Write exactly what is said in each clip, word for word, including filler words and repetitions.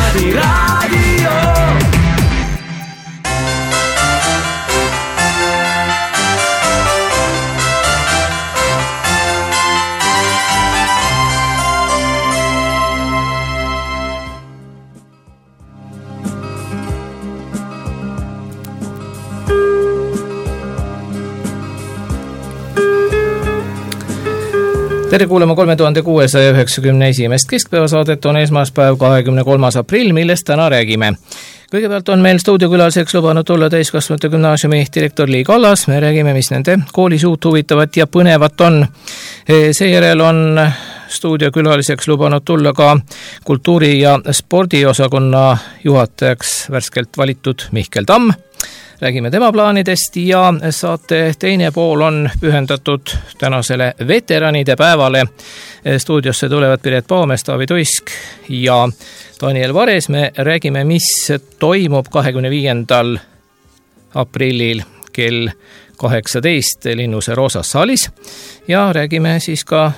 Tädi Raadio. Tere kuulema kolme tuhande kuuesaja üheksakümne esimest keskpäevasaadet on esmaspäev kahekümne kolmas aprill, millest täna räägime. Kõigepealt on meil stuudiokülaliseks lubanud tulla täiskasvanute gümnaasiumi direktor Lii Kallas. Me räägime, mis nende koolis uut huvitavat ja põnevat on. Seejärel on stuudiokülaliseks lubanud tulla ka kultuuri- ja spordiosakonna juhatajaks värskelt valitud Mihkel Tamm. Räägime tema plaanidest ja saate teine pool on pühendatud tänasele veteranide päevale. Stuudiosse tulevad Piret Paamest, Taavi Tuisk ja Daniel Vares. Me räägime, mis toimub kahekümne viiendal aprillil kell kaheksateist Linnuse Roosas saalis ja räägime siis ka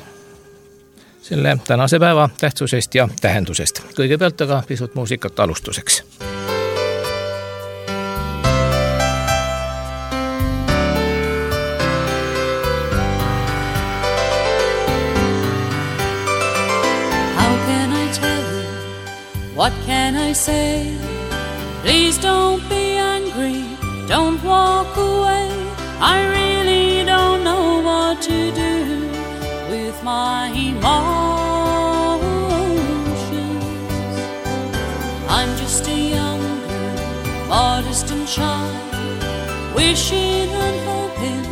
selle tänase päeva tähtsusest ja tähendusest. Kõigepealt aga pisut muusikat alustuseks. What can I say? Please don't be angry, don't walk away. I really don't know what to do with my emotions. I'm just a young girl, modest and shy, wishing and hoping,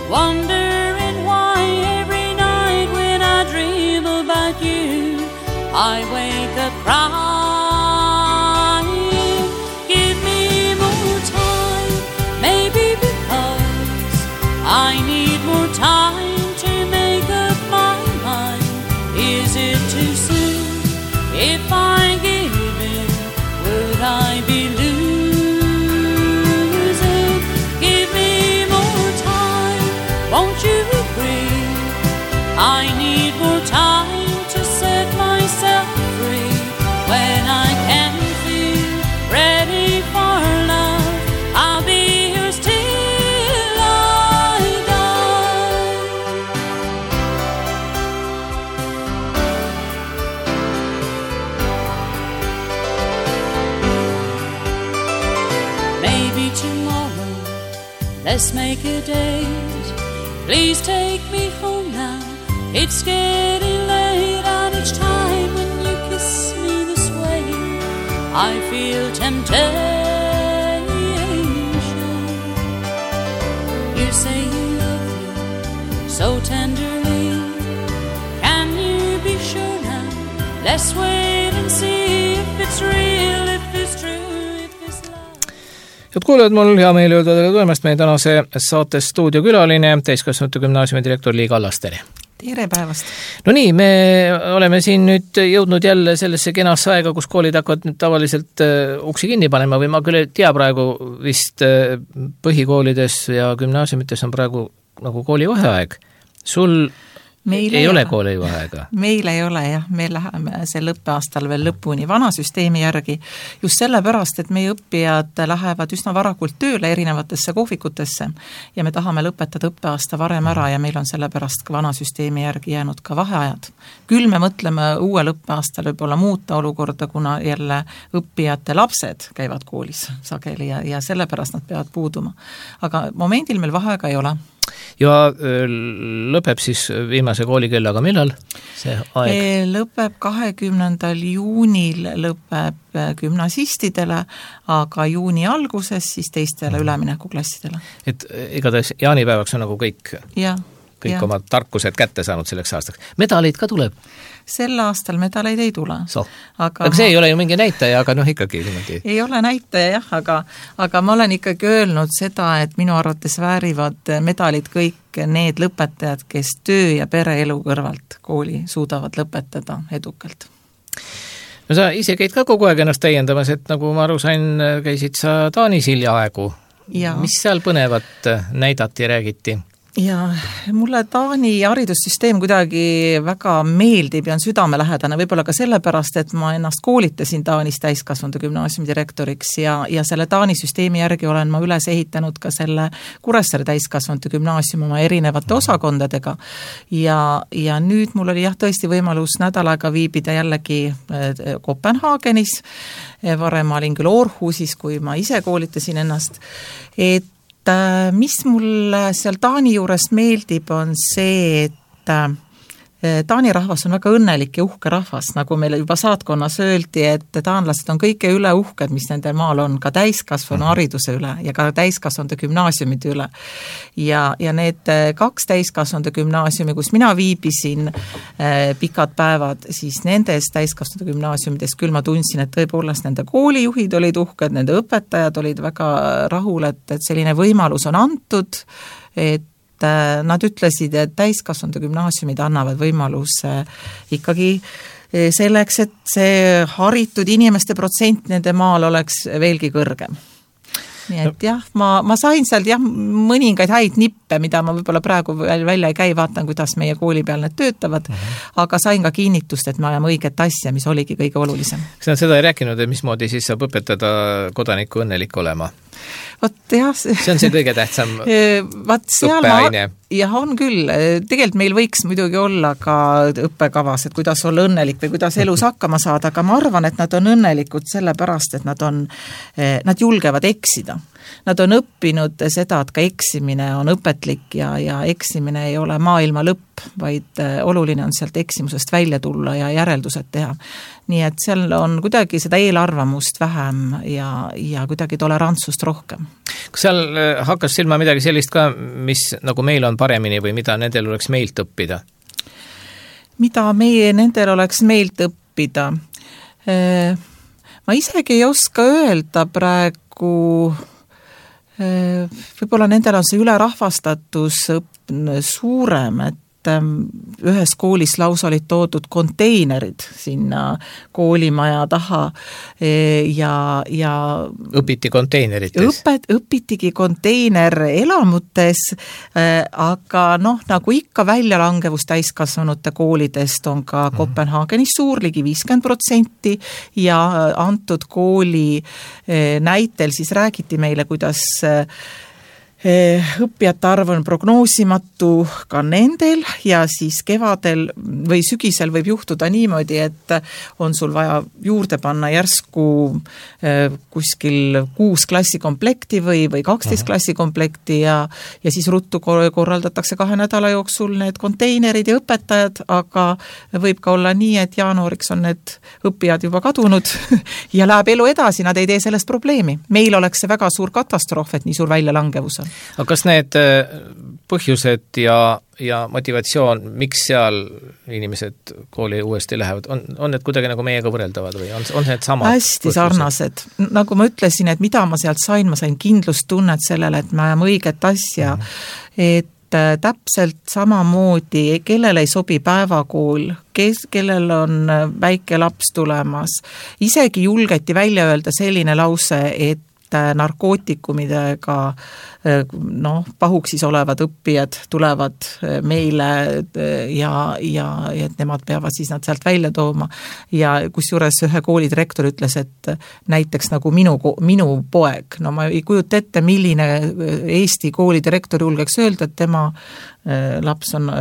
wondering why every night when I dream about you, I wake up crying. I need more time to make up my mind. Is it too soon? If I give in, would I be losing? Give me more time, won't you agree? I need more time to set myself free. When I can feel ready for love, I'll be yours till let's make a date. Please take me home now. It's getting late, and each time when you kiss me this way, I feel temptation. You say you love me so tenderly. Can you be sure now? Let's wait and see if it's real, if it's true. Head kuulajad, mul hea meel öelda teile tulemast meie tänase saates stuudiokülaline, täiskasvanute gümnaasiumi direktor Lii Kallas, tere! Tere päevast! No nii, me oleme siin nüüd jõudnud jälle sellesse kenasse aega, kus koolid hakkavad nüüd tavaliselt uksi kinni panema või ma küll ei tea praegu vist põhikoolides ja gümnaasiumites on praegu nagu koolivaheaeg. Sul Meil ei, ei ole koolivaheaega? Meil ei ole jah, me läheme sel õppeaastal veel lõpuni vana süsteemi järgi, just sellepärast, et meie õppijad lähevad üsna varakult tööle erinevatesse kohvikutesse ja me tahame lõpetada õppeaasta varem ära ja meil on sellepärast ka vana süsteemi järgi jäänud ka vaheajad. Küll me mõtleme uuel õppeaastal võib-olla muuta olukorda, kuna jälle õppijate lapsed käivad koolis sageli ja, ja sellepärast nad peavad puuduma. Aga momendil meil vaheaega ei ole. Ja lõpeb siis viimase koolikellaga millal see aeg? Lõpeb kahekümnendal juunil lõpeb gümnasistidele, aga juuni alguses siis teistele üleminekuklassidele. Et igatahes jaanipäevaks on nagu kõik, ja, kõik ja. oma tarkused kätte saanud selleks aastaks. Medaleid ka tuleb? Sel aastal medaleid ei tule. So. Aga, aga see ei ole ju mingi näitaja, aga noh ikkagi niimoodi. Ei ole näitaja jah, aga, aga ma olen ikkagi öelnud seda, et minu arvates väärivad medalid kõik need lõpetajad, kes töö ja pereelu kõrvalt kooli suudavad lõpetada edukalt. No sa ise käid ka kogu aeg ennast täiendamas, et nagu ma aru sain, käisid sa Taanis hiljaaegu. Ja. Mis seal põnevat näidati ja räägiti? ja mulle Taani haridussüsteem kuidagi väga meeldib ja on südamelähedane, võib-olla ka sellepärast, et ma ennast koolitasin Taanis täiskasvanute gümnaasiumi direktoriks ja, ja selle Taani süsteemi järgi olen ma üles ehitanud ka selle Kuressaare täiskasvanute gümnaasiumi oma erinevate osakondadega ja, ja nüüd mul oli jah tõesti võimalus nädal aega viibida jällegi Kopenhaagenis, varem ma olin küll Aarhusis, kui ma ise koolitasin ennast, et mis mulle seal Taani juures meeldib, on see, et Taani rahvas on väga õnnelik ja uhke rahvas, nagu meile juba saatkonnas öeldi, et taanlased on kõike üle uhked, mis nende maal on, ka täiskasvanu hariduse üle ja ka täiskasvanute gümnaasiumide üle. Ja, ja need kaks täiskasvanute gümnaasiumi, kus mina viibisin eh, pikad päevad, siis nendes täiskasvanute gümnaasiumides küll ma tundsin, et tõepoolest nende koolijuhid olid uhked, nende õpetajad olid väga rahul, et, et selline võimalus on antud, et nad ütlesid, et täiskasvanute gümnaasiumid annavad võimaluse ikkagi selleks, et see haritud inimeste protsent nende maal oleks veelgi kõrgem. Nii et jah, ma, ma sain sealt jah, mõningaid häid nippe, mida ma võib-olla praegu välja ei käi, vaatan, kuidas meie kooli peal need töötavad, uh-huh. aga sain ka kinnitust, et me ajame õiget asja, mis oligi kõige olulisem. Kas nad seda ei rääkinud, et mismoodi siis saab õpetada kodaniku õnnelik olema? Vot jah, see on see kõige tähtsam õppeaine. Jah, on küll. Tegelikult meil võiks muidugi olla ka õppekavas, et kuidas olla õnnelik või kuidas elus hakkama saada, aga ma arvan, et nad on õnnelikud sellepärast, et nad on, nad julgevad eksida. Nad on õppinud seda, et ka eksimine on õpetlik ja, ja eksimine ei ole maailma lõpp, vaid oluline on sealt eksimusest välja tulla ja järeldused teha. Nii et seal on kuidagi seda eelarvamust vähem ja, ja kuidagi tolerantsust rohkem. Kas seal hakkas silma midagi sellist ka, mis nagu meil on paremini või mida nendel oleks meilt õppida? Mida meie nendel oleks meilt õppida? Ma isegi ei oska öelda praegu, võib-olla nendel on see ülerahvastatus suurem, et ühes koolis lausa olid toodud konteinerid sinna koolimaja taha ja, ja õpiti konteinerites? Õpet, õpitigi konteiner elamutes, aga noh, nagu ikka väljalangevus täiskasvanute koolidest on ka Kopenhaagenis suur, ligi viiskümmend protsenti ja antud kooli näitel siis räägiti meile, kuidas õppijate arv on prognoosimatu ka nendel ja siis kevadel või sügisel võib juhtuda niimoodi, et on sul vaja juurde panna järsku kuskil kuus klassikomplekti või, või kaksteist klassikomplekti ja, ja siis ruttu korraldatakse kahe nädala jooksul need konteinerid ja õpetajad, aga võib ka olla nii, et jaanuariks on need õppijad juba kadunud ja läheb elu edasi, nad ei tee sellest probleemi. Meil oleks see väga suur katastroof, et nii suur väljalangevus on. Aga kas need põhjused ja, ja motivatsioon, miks seal inimesed kooli uuesti lähevad, on, on need kuidagi nagu meiega võrreldavad või on, on need samad hästi põhjused? Sarnased. Nagu ma ütlesin, et mida ma sealt sain, ma sain kindlustunnet sellele, et me ajame õiget asja, mm. et täpselt samamoodi, kellel ei sobi päevakool, kes, kellel on väike laps tulemas, isegi julgeti välja öelda selline lause, et narkootikumidega noh, pahuksis olevad õppijad tulevad meile ja, ja, ja et nemad peavad siis nad sealt välja tooma ja kus juures ühe kooli direktor ütles, et näiteks nagu minu, minu poeg, no ma ei kujuta ette, milline Eesti kooli direktor julgeks öelda, et tema laps on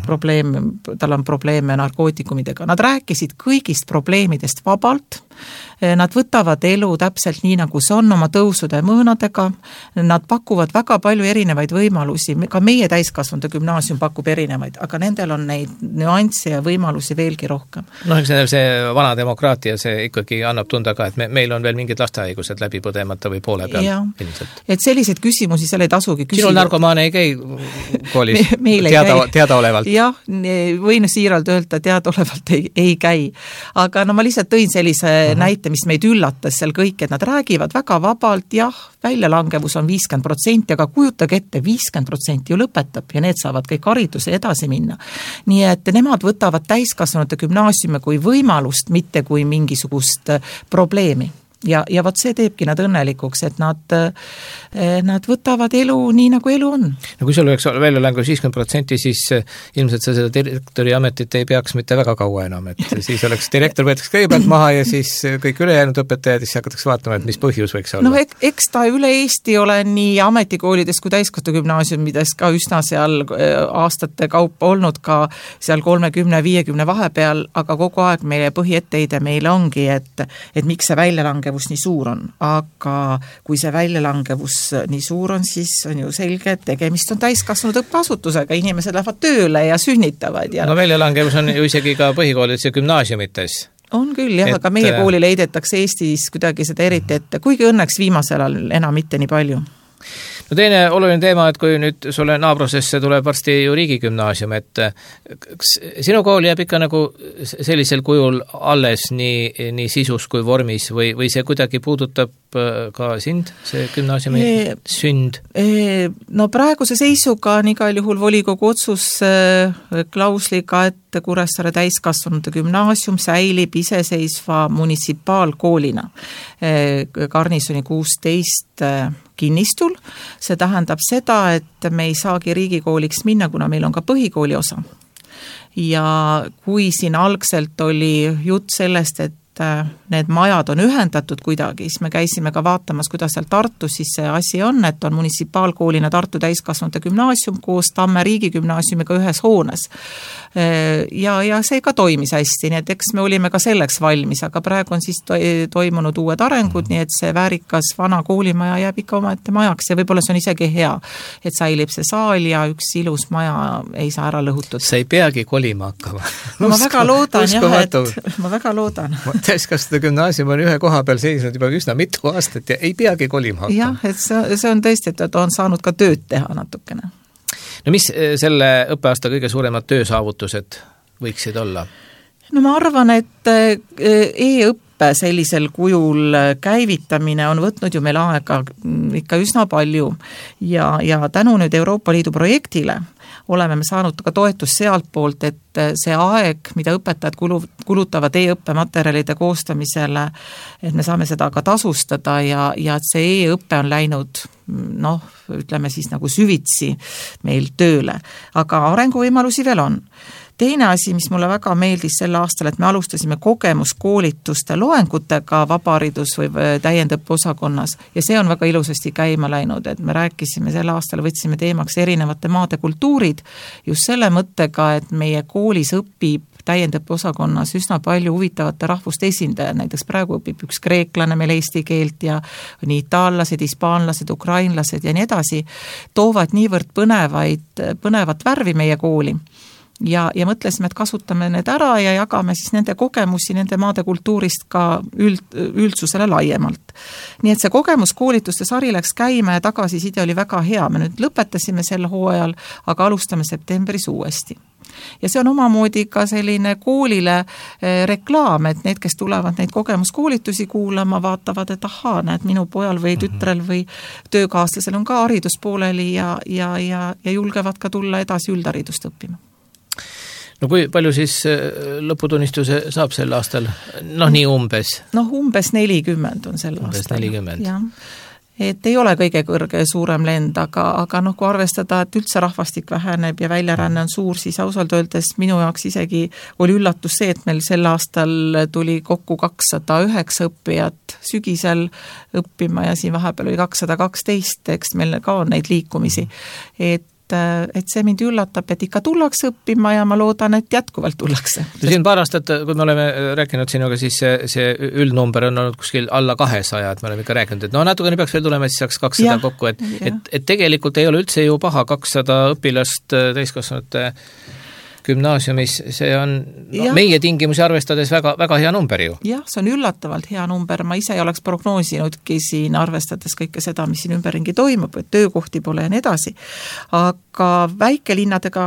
probleem, tal on probleeme narkootikumidega. Nad rääkisid kõigist probleemidest vabalt, nad võtavad elu täpselt nii, nagu see on oma tõusude mõõnadega, nad pakuvad väga palju erinevaid võimalusi, ka meie täiskasvanute gümnaasium pakub erinevaid, aga nendel on neid nüansse ja võimalusi veelgi rohkem. No eks nendel see vana demokraatia, see ikkagi annab tunda ka, et me, meil on veel mingid lastehaigused läbi põdemata või poole peal. Ilmselt. Et selliseid küsimusi seal ei tasugi küsida. Sinul narkomaane ei käi koolis teada, teadaolevalt? Jah, võin siiralt öelda, teadaolevalt ei, ei käi. Aga no ma lihtsalt tõin sellise uh-huh. näite, mis meid üllatas seal kõik, et nad räägivad väga vabalt, jah, väljalangevus on viiskümmend protsenti, aga kujutage ette, viiskümmend protsenti ju lõpetab ja need saavad kõik hariduse edasi minna. Nii et nemad võtavad täiskasvanute gümnaasiume kui võimalust, mitte kui mingisugust probleemi. Ja, ja vot see teebki nad õnnelikuks, et nad, nad võtavad elu nii, nagu elu on. No kui sul oleks väljalangevus viiskümmend protsenti, siis ilmselt sa seda direktori ametit ei peaks mitte väga kaua enam, et siis oleks direktor võetakse kõigepealt maha ja siis kõik ülejäänud õpetajad, siis hakatakse vaatama, et mis põhjus võiks olla. No ek, eks ta üle Eesti ole nii ametikoolides kui täiskasvanugümnaasiumides ka üsna seal aastate kaupa olnud ka seal kolmekümne viiekümne vahepeal, aga kogu aeg meie põhietteide meil ongi, et, et miks see väljalangevus nii suur on, aga kui see väljalangevus nii suur on, siis on ju selge, et tegemist on täiskasvanud õppeasutusega, inimesed lähevad tööle ja sünnitavad. Ja... No väljalangevus on ju isegi ka põhikoolides ja gümnaasiumites. On küll, jah, et... aga meie koolile heidetakse Eestis kuidagi seda eriti ette, kuigi õnneks viimasel ajal enam mitte nii palju. No teine oluline teema, et kui nüüd sulle naabrusesse tuleb varsti ju riigigümnaasium, et kas sinu kool jääb ikka nagu sellisel kujul alles nii, nii sisus kui vormis või, või see kuidagi puudutab ka sind, see gümnaasiumi e, sünd? E, no praeguse seisuga on igal juhul volikogu otsus klausliga, et Kuressaare täiskasvanute gümnaasium säilib iseseisva munitsipaalkoolina Garnisoni kuusteist kinnistul. See tähendab seda, et me ei saagi riigikooliks minna, kuna meil on ka põhikooli osa. Ja kui siin algselt oli jutt sellest, et need majad on ühendatud kuidagi, siis me käisime ka vaatamas, kuidas seal Tartus siis see asi on, et on munitsipaalkoolina Tartu täiskasvanute gümnaasium koos Tamme riigigümnaasiumiga ühes hoones. Ja, ja see ka toimis hästi, nii et eks me olime ka selleks valmis, aga praegu on siis toimunud uued arengud, nii et see väärikas vana koolimaja jääb ikka omaette majaks ja võib-olla see on isegi hea, et säilib see saal ja üks ilus maja ei saa ära lõhutud. Sa ei peagi kolima hakkama. No, ma väga loodan, jah, et ma väga loodan. Täiskasvanute gümnaasium on ühe koha peal seisnud juba üsna mitu aastat ja ei peagi kolima hakkama. Jah, et see, see on tõesti, et on saanud ka tööd teha natukene. No mis selle õppeaasta kõige suuremad töösaavutused võiksid olla? No ma arvan, et e-õppe sellisel kujul käivitamine on võtnud ju meil aega ikka üsna palju ja, ja tänu nüüd Euroopa Liidu projektile oleme me saanud ka toetust sealt poolt, et see aeg, mida õpetajad kulutavad e-õppematerjalide koostamisele, et me saame seda ka tasustada ja, ja et see e-õppe on läinud, noh, ütleme siis nagu süvitsi meil tööle, aga arenguvõimalusi veel on. Teine asi, mis mulle väga meeldis sel aastal, et me alustasime kogemuskoolituste loengutega vabaharidus või täiendõppe osakonnas ja see on väga ilusasti käima läinud, et me rääkisime sel aastal, võtsime teemaks erinevate maade kultuurid just selle mõttega, et meie koolis õpib täiendõppe osakonnas üsna palju huvitavate rahvuste esindajad, näiteks praegu õpib üks kreeklane meil eesti keelt ja nii itaallased, hispaanlased, ukrainlased ja nii edasi, toovad niivõrd põnevaid, põnevat värvi meie kooli. Ja, ja mõtlesime, et kasutame need ära ja jagame siis nende kogemusi nende maade kultuurist ka üld, üldsusele laiemalt. Nii et see kogemuskoolituste sari läks käima ja tagasiside oli väga hea. Me nüüd lõpetasime sel hooajal, aga alustame septembris uuesti. Ja see on omamoodi ka selline koolile reklaam, et need, kes tulevad neid kogemuskoolitusi kuulama, vaatavad, et ahaa, näed, minu pojal või tütrel või töökaaslasel on ka hariduspooleli ja, ja, ja, ja julgevad ka tulla edasi üldharidust õppima. No kui palju siis lõputunnistuse saab sel aastal? Noh, nii umbes. Noh, umbes nelikümmend on sel umbes aastal. nelikümmend. Ja. Et ei ole kõige kõrge suurem lend, aga, aga noh, kui arvestada, et üldse rahvastik väheneb ja väljaränne on suur, siis ausalt öeldes minu jaoks isegi oli üllatus see, et meil sel aastal tuli kokku kakssada üheksa õppijat sügisel õppima ja siin vahepeal oli kakssada kaksteist, eks meil ka on neid liikumisi. Et et see mind üllatab, et ikka tullakse õppima ja ma loodan, et jätkuvalt tullakse. Siin paar aastat, kui me oleme rääkinud sinuga, siis see, see üldnumber on olnud kuskil alla kahesaja, et me oleme ikka rääkinud, et no natukene peaks veel tulema, siis saaks kakssada ja, kokku, et, et, et tegelikult ei ole üldse ju paha kakssada õpilast täiskasvanute gümnaasiumis, see on no, meie tingimusi arvestades väga, väga hea number ju. Jah, see on üllatavalt hea number, ma ise ei oleks prognoosinudki siin arvestades kõike seda, mis siin ümberringi toimub, et töökohti pole ja nii edasi. Aga väikelinnadega,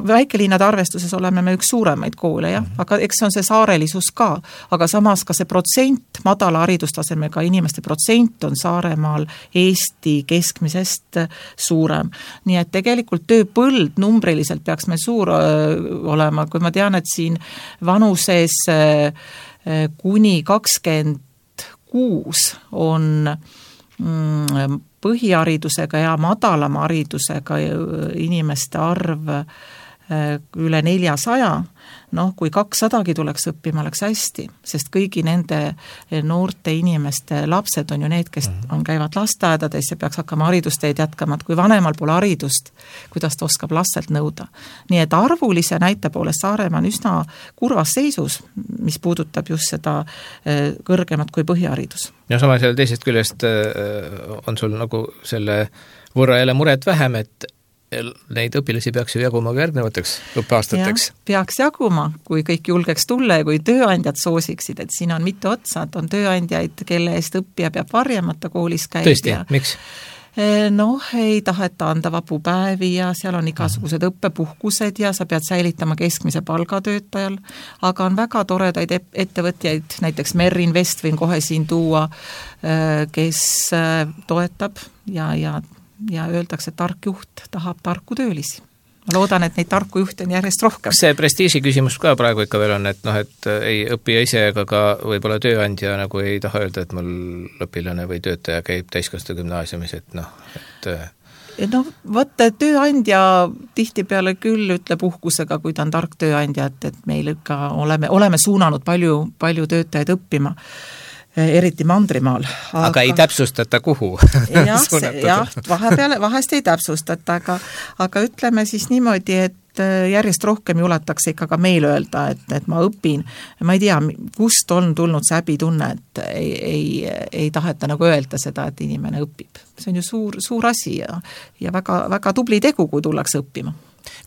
väikelinnade arvestuses oleme me üks suuremaid koole, jah, aga eks see on see saarelisus ka, aga samas ka see protsent, madala haridustasemega inimeste protsent on Saaremaal Eesti keskmisest suurem. Nii et tegelikult tööpõld numbriliselt peaks meil suur olema, kui ma tean, et siin vanuses kuni kakskümmend kuus on põhiharidusega ja madalama haridusega inimeste arv üle neljasaja, noh, kui kaksadagi tuleks õppima, oleks hästi, sest kõigi nende noorte inimeste lapsed on ju need, kes on, käivad lasteaedades ja peaks hakkama haridusteed jätkama, et kui vanemal pole haridust, kuidas ta oskab lastelt nõuda. Nii et arvulise näite poolest Saaremaa on üsna kurvas seisus, mis puudutab just seda kõrgemat kui põhiharidus. Ja sama selle teisest küljest on sul nagu selle võrra jälle muret vähem, et neid õpilasi peaks ju jaguma ka järgnevateks õppeaastateks. Ja, peaks jaguma, kui kõik julgeks tulla ja kui tööandjad soosiksid, et siin on mitu otsa, et on tööandjaid, kelle eest õppija peab varjamata koolis käib. Tõesti, ja, miks? Noh, ei taheta anda vapupäevi ja seal on igasugused õppepuhkused ja sa pead säilitama keskmise palgatöötajal, aga on väga toredaid ettevõtjaid, näiteks Merrin Vest võin kohe siin tuua, kes toetab ja, ja ja öeldakse, et tark juht tahab tarku töölisi. Ma loodan, et neid tarku juhte on järjest rohkem. See prestiiži küsimus ka praegu ikka veel on, et noh, et ei õppija ise ega ka võib-olla tööandja nagu ei taha öelda, et mul õpilane või töötaja käib täiskasvanu gümnaasiumis, et noh, et no vaata, tööandja tihtipeale küll ütleb uhkusega, kui ta on tark tööandja, et, et meil ikka oleme, oleme suunanud palju, palju töötajaid õppima, eriti Mandrimaal. Aga, aga ei täpsustata kuhu? jah, jah, vahepeale, vahest ei täpsustata, aga, aga ütleme siis niimoodi, et järjest rohkem juletakse ikka ka meil öelda, et, et ma õpin. Ma ei tea, kust on tulnud see häbitunne, et ei, ei, ei taheta nagu öelda seda, et inimene õpib. See on ju suur, suur asi ja, ja väga, väga tubli tegu, kui tullakse õppima.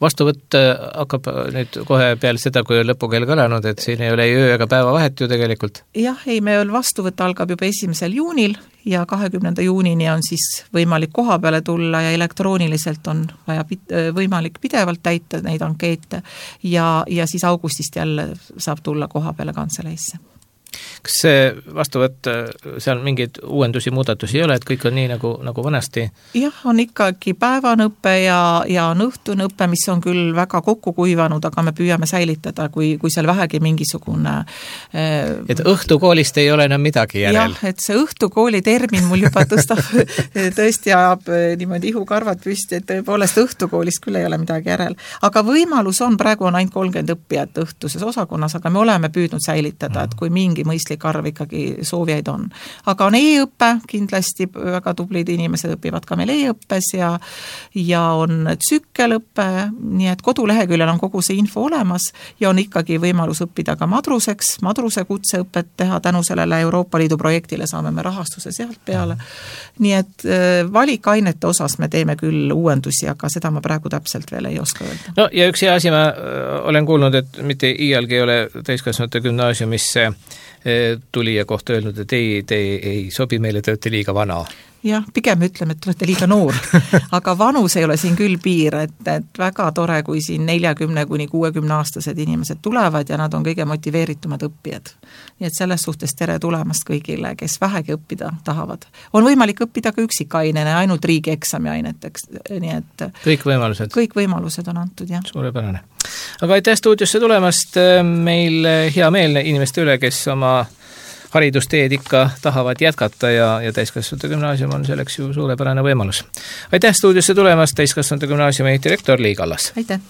Vastuvõtt hakkab nüüd kohe peale seda, kui on lõpukeel kõlanud, et siin ei ole ei öö ega päeva vahet ju tegelikult. Jah, ei, meil vastuvõtt algab juba esimesel juunil ja kahekümnenda juunini on siis võimalik koha peale tulla ja elektrooniliselt on vaja võimalik pidevalt täita neid ankeete ja, ja siis augustist jälle saab tulla koha peale kantseleisse. Kas see vastuvõtt, seal mingeid uuendusi, muudatusi ei ole, et kõik on nii nagu, nagu vanasti? Jah, on ikkagi päevanõppe ja, ja on õhtunõppe, mis on küll väga kokku kuivanud, aga me püüame säilitada, kui, kui seal vähegi mingisugune äh, et õhtukoolist ei ole enam midagi järel? Jah, et see õhtukooli termin mul juba tõstab tõesti ajab niimoodi ihukarvad püsti, et tõepoolest õhtukoolist küll ei ole midagi järel. Aga võimalus on, praegu on ainult kolmkümmend õppijat õhtuses osakonnas, aga me oleme püüdnud säilitada, et kui mingi mõistlik arv ikkagi soovijaid on. Aga on e-õppe, kindlasti väga tublid inimesed õpivad ka meil e-õppes ja, ja on tsükkelõppe, nii et koduleheküljel on kogu see info olemas ja on ikkagi võimalus õppida ka madruseks, madruse kutseõpet teha, tänu sellele Euroopa Liidu projektile saame me rahastuse sealt peale. Nii et valikainete osas me teeme küll uuendusi, aga seda ma praegu täpselt veel ei oska öelda. No ja üks hea asi, ma olen kuulnud, et mitte iialgi ei ole täiskasvanute gümnaasiumisse tulija kohta öelnud, et ei, te ei sobi meile, te olete liiga vana. Jah, pigem ütleme, et olete liiga noor, aga vanus ei ole siin küll piir, et, et väga tore, kui siin neljakümne kuni kuuekümne aastased inimesed tulevad ja nad on kõige motiveeritumad õppijad. Nii et selles suhtes tere tulemast kõigile, kes vähegi õppida tahavad. On võimalik õppida ka üksikainene, ainult riigieksami aineteks, nii et kõik võimalused. Kõik võimalused on antud, jah. Suurepärane. Aga aitäh stuudiosse tulemast, meil hea meel inimeste üle, kes oma haridusteed ikka tahavad jätkata ja, ja täiskasvanute gümnaasium on selleks ju suurepärane võimalus. Aitäh stuudiosse tulemast, täiskasvanute gümnaasiumi direktor Lii Kallas. Aitäh!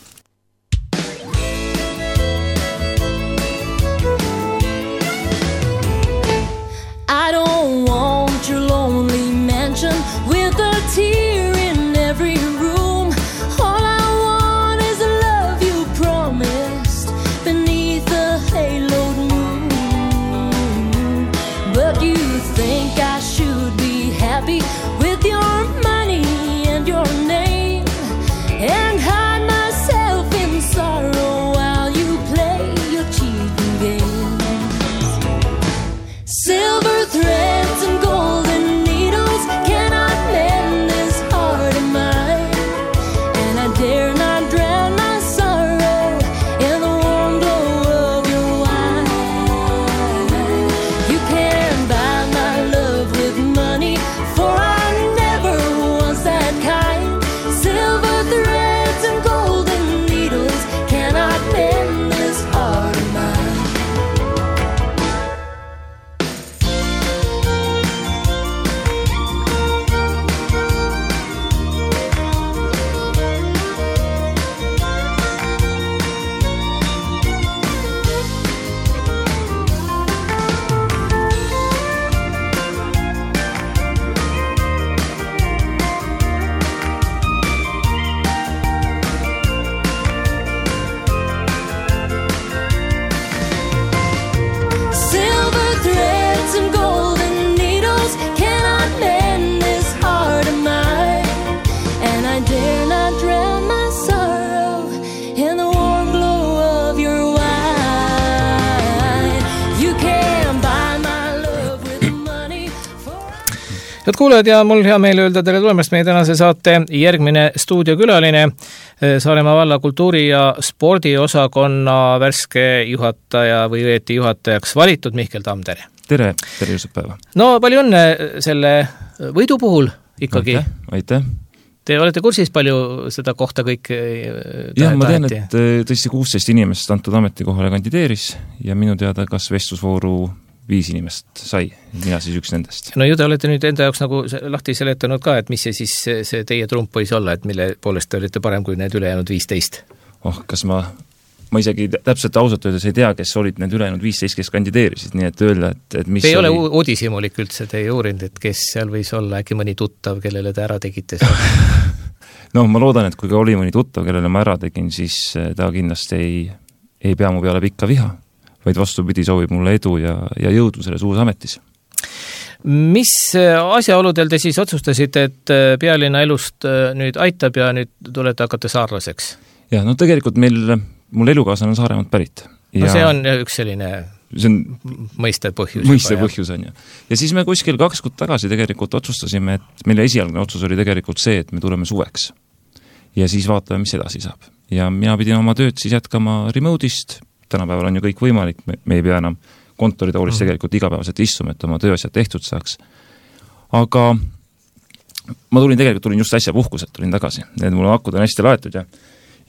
I don't want your lonely mansion with a tear in every room. All I want is the love you promised beneath the haloed moon. But you think I should be happy with your money and your name and hide myself in sorrow while you play your cheating games. Silver threads and golden needles cannot mend this heart of mine, and I dare not drown my sorrow in the warm glow of your wine. You can buy my love Head kuulajad ja mul hea meel öelda tere tulemast meie tänase saate järgmine stuudiokülaline, Saaremaa valla kultuuri- ja spordiosakonna värske juhataja või õieti juhatajaks valitud Mihkel Tamm, tere! Tere, tere Juusep päeva! No palju õnne selle võidu puhul ikkagi. Aitäh, aitäh. Te olete kursis palju seda kohta kõik taheti? Jah, ma tean, et tõesti kuusteist inimest antud ametikohale kandideeris ja minu teada kas vestlusvooru viis inimest sai, mina siis üks nendest. No ju te olete nüüd enda jaoks nagu lahti seletanud ka, et mis see siis see teie trump võis olla, et mille poolest te olite parem kui need ülejäänud viisteist? Oh, kas ma, ma isegi täpselt ausalt öeldes ei tea, kes olid need ülejäänud viisteist, kes kandideerisid, nii et öelda, et, et mis te ei oli... ole uudishimulik üldse, te ei uurinud, et kes seal võis olla, äkki mõni tuttav, kellele te ära tegite? No ma loodan, et kui ka oli mõni tuttav, kellele ma ära tegin, siis ta kindlasti ei, ei pea mu peale pikka viha, vaid vastupidi soovib mulle edu ja, ja jõudu selles uus ametis. Mis asjaoludel te siis otsustasite, et pealinna elust nüüd aitab ja nüüd tulete hakata saarlaseks? Ja, no tegelikult meil, mul elukaaslane on Saaremaalt pärit. Ja no see on üks selline see on mõistev põhjus. Mõistev põhjus on ju. Ja siis me kuskil kaks kuud tagasi tegelikult otsustasime, et meile esialgne otsus oli tegelikult see, et me tuleme suveks. Ja siis vaatame, mis edasi saab. Ja mina pidin oma tööd siis jätkama remote'ist. Tänapäeval on ju kõik võimalik, me, me ei pea enam kontoritoolis mm. tegelikult igapäevaselt istuma, et oma tööasjad tehtud saaks. Aga ma tulin tegelikult, tulin just äsja puhkuselt, tulin tagasi. Need mul akud on hästi laetud ja,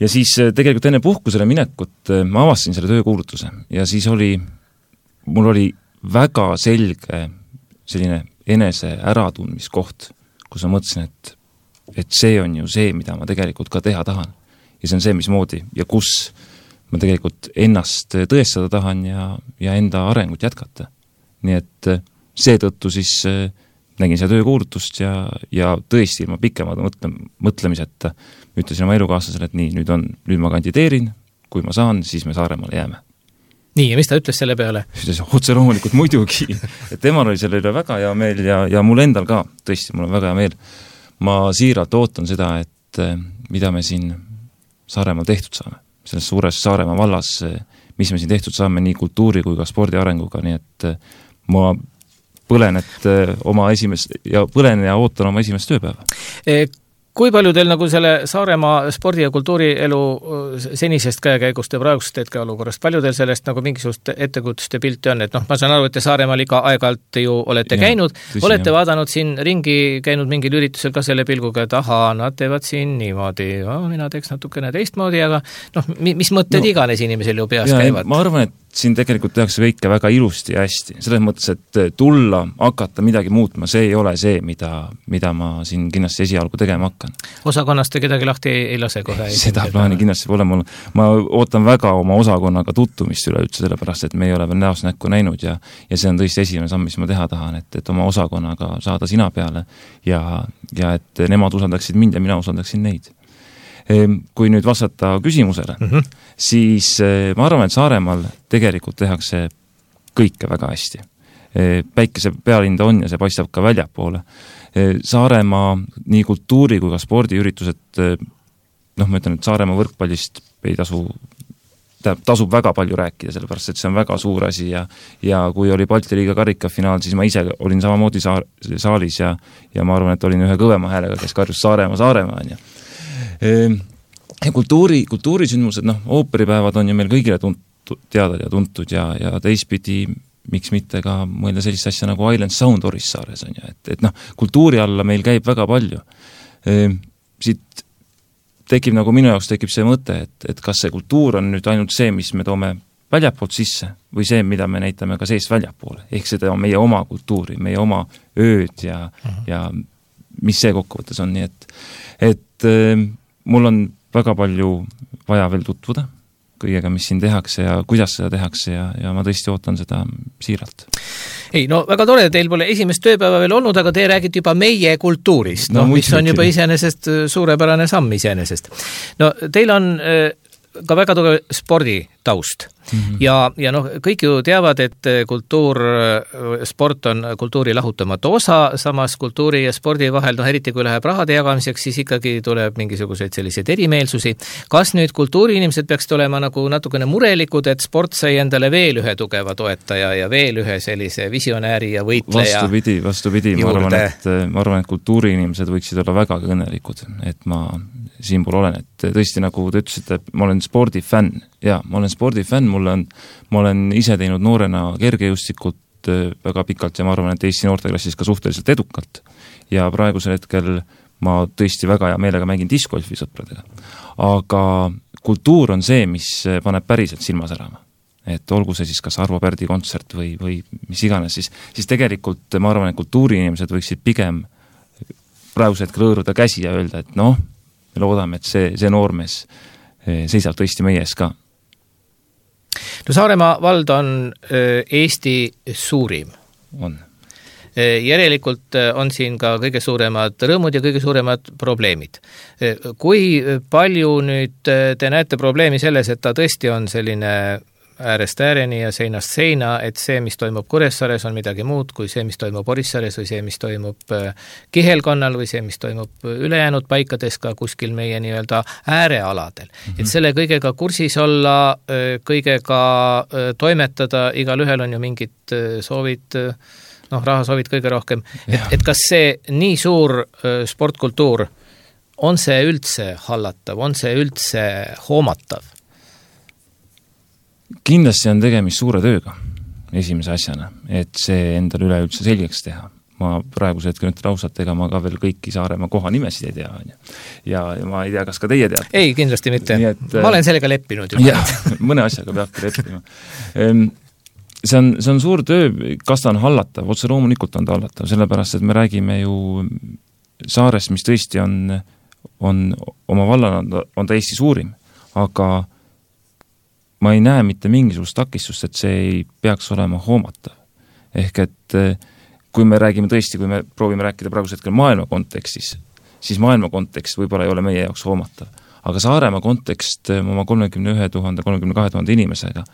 ja siis tegelikult enne puhkusele minekut ma avastasin selle töökuulutuse ja siis oli, mul oli väga selge selline enese äratundmiskoht, kus ma mõtlesin, et, et see on ju see, mida ma tegelikult ka teha tahan. Ja see on see, mismoodi ja kus ma tegelikult ennast tõestada tahan ja, ja enda arengut jätkata. Nii et seetõttu siis nägin seda töökuulutust ja, ja tõesti ilma pikemad mõtle, mõtlemiseta ütlesin oma elukaaslasele, et nii, nüüd, on, nüüd ma kandideerin, kui ma saan, siis me Saaremaale jääme. Nii, ja mis ta ütles selle peale? Ütles otse loomulikult muidugi, et temal oli selle üle väga hea meel ja, ja mul endal ka, tõesti, mul on väga hea meel. Ma siiralt ootan seda, et mida me siin Saaremaal tehtud saame. Selles suures Saaremaa vallas, mis me siin tehtud saame nii kultuuri kui ka spordi arenguga, nii et ma põlen, et oma esimest, ja põlen ja ootan oma esimest tööpäeva. Kui palju teil nagu selle Saaremaa spordi- ja kultuurielu senisest käekäigust ja praegust hetkeolukorrast, palju teil sellest nagu mingisugust ettekujutuste pilti on, et noh, ma saan aru, et te Saaremaal iga aeg-alt ju olete ja, käinud, tõsi, olete jah. Vaadanud siin ringi, käinud mingil üritusel ka selle pilguga, et ahaa, nad teevad siin niimoodi, oh, mina teeks natukene teistmoodi, aga noh, mis mõtted no, iganes inimesel ju peas ja, käivad? Ma arvan, et siin tegelikult tehakse kõike väga ilusti ja hästi. Selles mõttes, et tulla, hakata midagi muutma, see ei ole see, mida, mida ma siin kindlasti esialgu tegema hakkan. Osakonnast te kedagi lahti ei, ei lase kohe? Seda plaani kindlasti pole mul. Ma ootan väga oma osakonnaga tuttumist üleüldse, sellepärast, et me ei ole veel näost näkku näinud ja, ja see on tõesti esimene samm, mis ma teha tahan, et, et oma osakonnaga saada sina peale ja, ja et nemad usaldaksid mind ja mina usaldaksin neid. Kui nüüd vastata küsimusele, mm-hmm. siis ma arvan, et Saaremaal tegelikult tehakse kõike väga hästi. Päikese pealinda on ja see paistab ka väljapoole. Saaremaa nii kultuuri kui ka spordiüritused, noh, ma ütlen, et Saaremaa võrkpallist ei tasu, tasub väga palju rääkida, sellepärast, et see on väga suur asi ja, ja kui oli Balti liiga karikafinaal, siis ma ise olin samamoodi saar, saalis ja, ja ma arvan, et olin ühe kõvema häälega, kes karjus Saaremaa, Saaremaa on ja ja kultuuri, kultuurisündmused, noh, ooperipäevad on ju meil kõigile tuntud, teadad ja tuntud ja, ja teistpidi, miks mitte ka mõelda sellist asja nagu Island Sound Orissaares on ju, et, et noh, kultuuri alla meil käib väga palju. Siit tekib nagu minu jaoks tekib see mõte, et, et kas see kultuur on nüüd ainult see, mis me toome väljapoolt sisse või see, mida me näitame ka seest väljapoole, ehk seda on meie oma kultuuri, meie oma ööd ja, uh-huh. ja mis see kokkuvõttes on, nii et, et mul on väga palju vaja veel tutvuda kõigega, mis siin tehakse ja kuidas seda tehakse ja, ja ma tõesti ootan seda siiralt. Ei, no väga tore, teil pole esimest tööpäeva veel olnud, aga te räägite juba meie kultuurist, no, no, mis on juba iseenesest suurepärane samm iseenesest. No teil on ka väga tugev sporditaust. Mm-hmm. Ja, ja noh, kõik ju teavad, et kultuur, sport on kultuuri lahutamatu osa, samas kultuuri ja spordi vahel, noh eriti kui läheb rahade jagamiseks, siis ikkagi tuleb mingisuguseid selliseid erimeelsusi. Kas nüüd kultuuriinimesed peaksid olema nagu natukene murelikud, et sport sai endale veel ühe tugeva toetaja ja veel ühe sellise visionääri ja võitleja? Vastupidi, vastupidi. Ma arvan, et, ma arvan, et kultuuriinimesed võiksid olla väga õnnelikud, et ma siinpool olen, et tõesti nagu te ütlesite, ma olen spordifänn ja ma olen spordifänn, mul on, ma olen ise teinud noorena kergejõustikut väga pikalt ja ma arvan, et Eesti noorteklassis ka suhteliselt edukalt ja praegusel hetkel ma tõesti väga hea meelega mängin discgolfi sõpradega. Aga kultuur on see, mis paneb päriselt silma särama. Et olgu see siis kas Arvo Pärdi kontsert või, või mis iganes, siis, siis tegelikult ma arvan, et kultuuriinimesed võiksid pigem praegusel hetkel hõõruda käsi ja öelda, et noh, me loodame, et see, see noormees seisab tõesti meie ees ka. No Saaremaa vald on Eesti suurim. On. Järelikult on siin ka kõige suuremad rõõmud ja kõige suuremad probleemid. Kui palju nüüd te näete probleemi selles, et ta tõesti on selline äärest ääreni ja seinast seina, et see, mis toimub Kuressaares, on midagi muud kui see, mis toimub Orissaares või see, mis toimub Kihelkonnal või see, mis toimub ülejäänud paikades ka kuskil meie nii-öelda äärealadel. Mm-hmm. Et selle kõigega kursis olla, kõigega toimetada, igal ühel on ju mingid soovid, noh, raha soovid kõige rohkem. Et, et kas see nii suur sportkultuur, on see üldse hallatav, on see üldse hoomatav? Kindlasti on tegemist suure tööga esimese asjana, et see endal üleüldse selgeks teha. Ma praeguse hetkel nüüd lausat, ega ma ka veel kõiki Saaremaa koha nimesid ei tea. Ja, ja ma ei tea, kas ka teie teate. Ei, kindlasti mitte. Et, ma olen sellega leppinud. Ja, mõne asjaga peabki leppima. See on, see on suur töö, kas ta on hallatav, otse loomulikult on ta hallatav, sellepärast, et me räägime ju Saarest, mis tõesti on, on oma vallana on ta Eesti suurim, aga ma ei näe mitte mingisugust takistust, et see ei peaks olema hoomatav. Ehk et kui me räägime tõesti, kui me proovime rääkida praegusel hetkel maailma kontekstis, siis maailma kontekst võib-olla ei ole meie jaoks hoomatav. Aga Saaremaa kontekst oma kolmekümne ühe tuhande, kolmekümne kahe tuhande inimesega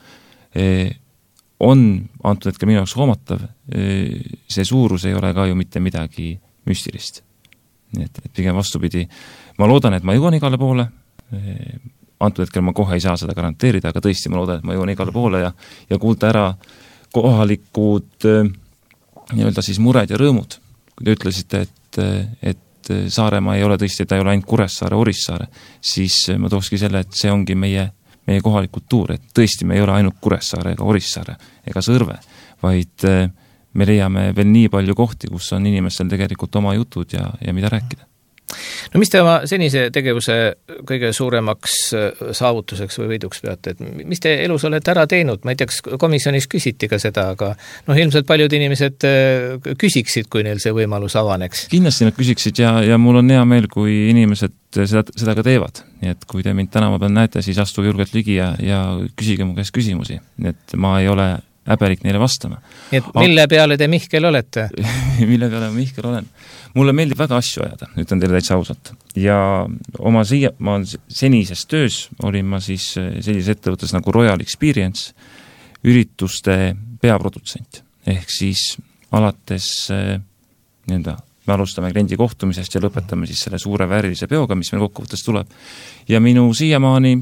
on antud hetkel minu jaoks hoomatav. See suurus ei ole ka ju mitte midagi müstilist. Nii et, et pigem vastupidi. Ma loodan, et ma jõuan igale poole, antud hetkel ma kohe ei saa seda garanteerida, aga tõesti ma loodan, et ma jõuan igale poole ja, ja kuulda ära kohalikud nii-öelda siis mured ja rõõmud. Kui te ütlesite, et, et Saaremaa ei ole tõesti, ta ei ole ainult Kuressaare, Orissaare, siis ma tookski selle, et see ongi meie, meie kohalik kultuur, et tõesti me ei ole ainult Kuressaare ega Orissaare ega Sõrve, vaid me leiame veel nii palju kohti, kus on inimestel tegelikult oma jutud ja, ja mida rääkida. No mis te oma senise tegevuse kõige suuremaks saavutuseks või võiduks peate, et mis te elus olete ära teinud? Ma ei tea, kas komisjonis küsiti ka seda, aga noh, ilmselt paljud inimesed küsiksid, kui neil see võimalus avaneks. Kindlasti nad küsiksid ja, ja mul on hea meel, kui inimesed seda, seda ka teevad. Nii et kui te mind tänava peal näete, siis astuge julgelt ligi ja, ja küsige mu käest küsimusi. Nii et ma ei ole häbelik neile vastama. Nii et mille peale te Mihkel olete? Mille peale ma Mihkel olen? Mulle meeldib väga asju ajada, ütlen teile täitsa ausalt. Ja oma siia, ma senises töös olin ma siis sellises ettevõttes nagu Royal Experience ürituste peaprodutsent. Ehk siis alates nii-öelda me alustame kliendi kohtumisest ja lõpetame siis selle suure väärilise peoga, mis meil kokkuvõttes tuleb. Ja minu siiamaani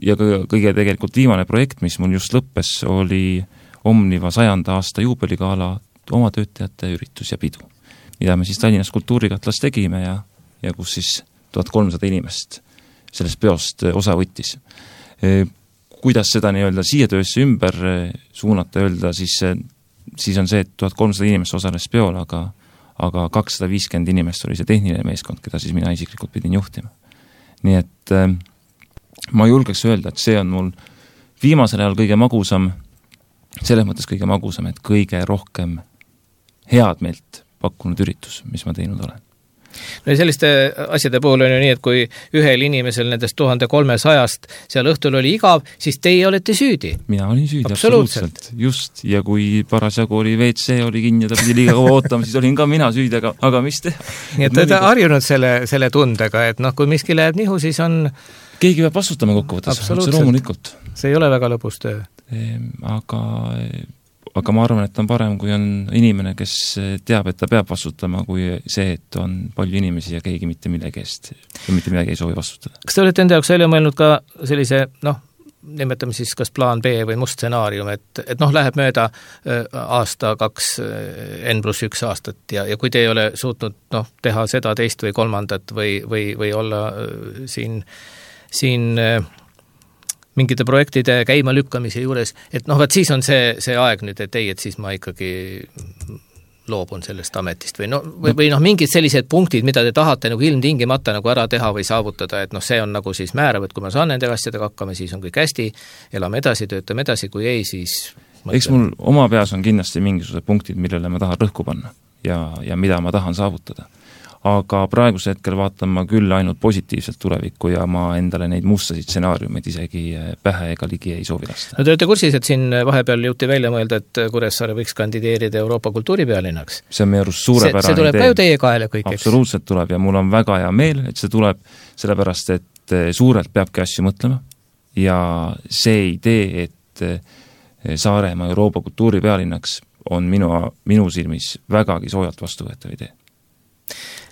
ja kõige tegelikult viimane projekt, mis mul just lõppes, oli Omniva sajanda aasta juubeligaala oma töötajate üritus ja pidu, mida me siis Tallinnas kultuurikatlas tegime ja, ja kus siis tuhat kolmsada inimest sellest peost osa võttis. Kuidas seda nii-öelda siia töösse ümber suunata, öelda, siis, siis on see, et tuhat kolmsada inimest osales peol, aga, aga kakssada viiskümmend inimest oli see tehniline meeskond, keda siis mina isiklikult pidin juhtima. Nii et ma julgeks öelda, et see on mul viimasel ajal kõige magusam, selles mõttes kõige magusam, et kõige rohkem head meelt pakkunud üritus, mis ma teinud olen. No ja selliste asjade puhul on ju nii, et kui ühel inimesel nendest tuhande kolmesajast seal õhtul oli igav, siis teie olete süüdi. Mina olin süüdi, absoluutselt. absoluutselt. Just, ja kui parasjagu oli V C oli kinni ja ta pidi liiga kaua ootama, siis olin ka mina süüdi, aga, aga mis teha? Nii et te olete harjunud selle, selle tundega, et noh, kui miski läheb nihu, siis on keegi peab vastutama kokkuvõttes, otse loomulikult. See ei ole väga lõbus töö. Aga, aga ma arvan, et on parem, kui on inimene, kes teab, et ta peab vastutama, kui see, et on palju inimesi ja keegi mitte millegi eest ja mitte midagi ei soovi vastutada. Kas te olete enda jaoks välja mõelnud ka sellise, noh, nimetame siis kas plaan B või must stsenaarium, et, et noh, läheb mööda aasta, kaks, N pluss üks aastat ja, ja kui te ei ole suutnud noh, teha seda teist või kolmandat või, või, või olla siin, siin mingite projektide käima lükkamise juures, et noh, vaat siis on see, see aeg nüüd, et ei, et siis ma ikkagi loobun sellest ametist või no, või, või noh, mingid sellised punktid, mida te tahate nagu ilmtingimata nagu ära teha või saavutada, et noh, see on nagu siis määrav, et kui ma saan nende asjadega hakkama, siis on kõik hästi, elame edasi, töötame edasi, kui ei, siis eks mul oma peas on kindlasti mingisugused punktid, millele ma tahan rõhku panna ja, ja mida ma tahan saavutada. Aga praeguse hetkel vaatan ma küll ainult positiivselt tulevikku ja ma endale neid mustasid stsenaariumeid isegi pähe ega ligi ei soovi lasta. No te olete kursis, et siin vahepeal jõuti välja mõelda, et Kuressaare võiks kandideerida Euroopa kultuuripealinnaks. See on meie arust suurepärane see, see tuleb idee. Ka ju teie kaele kõik, eks? Absoluutselt tuleb ja mul on väga hea meel, et see tuleb sellepärast, et suurelt peabki asju mõtlema ja see idee, et Saaremaa Euroopa kultuuripealinnaks on minu, minu silmis vägagi soojalt vastuvõetav idee.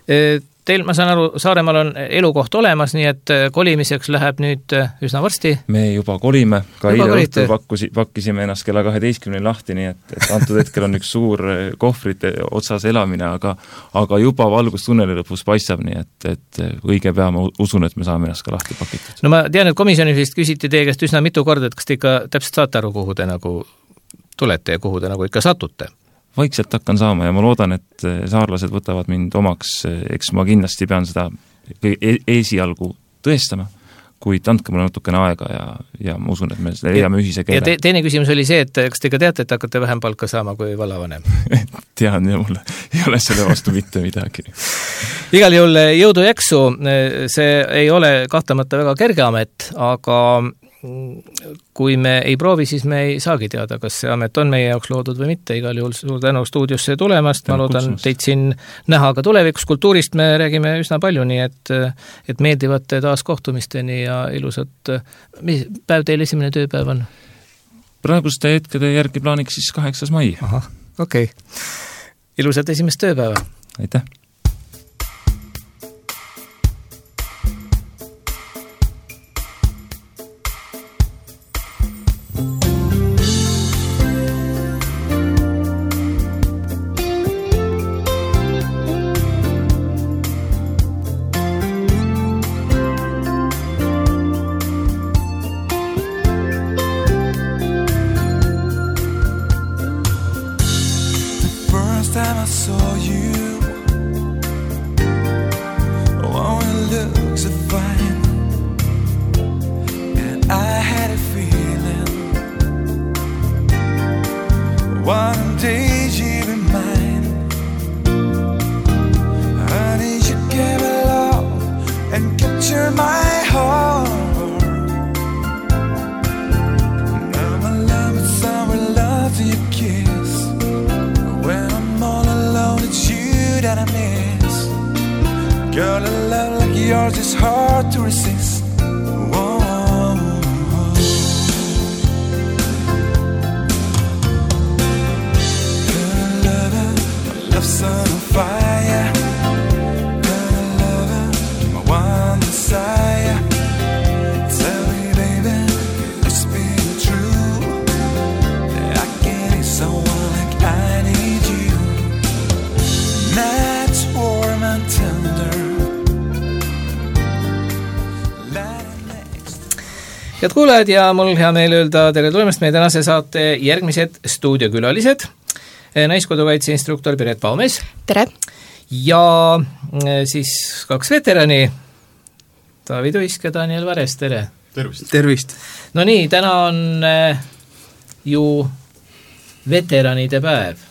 Teil, ma saan aru, Saaremaal on elukoht olemas, nii et kolimiseks läheb nüüd üsna varsti. Me juba kolime, ka eile õhtul pakkusi, pakkisime ennast kella kaheteistkümne lahti, nii et, et antud hetkel on üks suur kohvrite otsas elamine, aga, aga juba valgus tunneli lõpus paistab, nii et, et õige pea ma usun, et me saame ennast ka lahti pakitud. No ma tean, et komisjonis vist küsiti teie käest üsna mitu korda, et kas te ikka täpselt saate aru, kuhu te nagu tulete ja kuhu te nagu ikka satute? Vaikselt hakkan saama ja ma loodan, et saarlased võtavad mind omaks, eks ma kindlasti pean seda esialgu tõestama, kuid andke mulle natukene aega ja, ja ma usun, et me leiame ühise keele. Ja te, teine küsimus oli see, et kas te ka teate, et hakkate vähem palka saama kui vallavanem? Tean ja mul ei ole selle vastu mitte midagi. Igal juhul jõudu jaksu, see ei ole kahtlemata väga kerge amet, aga kui me ei proovi, siis me ei saagi teada, kas see amet on meie jaoks loodud või mitte, igal juhul suur tänu stuudiosse tulemast, ma loodan teid siin näha ka tulevikus, kultuurist me räägime üsna palju, nii et, et meeldivate taas kohtumisteni ja ilusat, mis päev teil esimene tööpäev on? Praeguste hetkede järgi plaaniks siis kaheksas mai. Ahah, okei. Okay. Ilusat esimest tööpäeva! Aitäh! Head kuulajad ja mul hea meel öelda tere tulemast meie tänase saate järgmised stuudiokülalised. Naiskodukaitse instruktor Piret Paumes. Tere! Ja siis kaks veterani, Taavi Tuisk ja Daniel Vares, tere! Tervist! Tervist! No nii, täna on ju veteranide päev.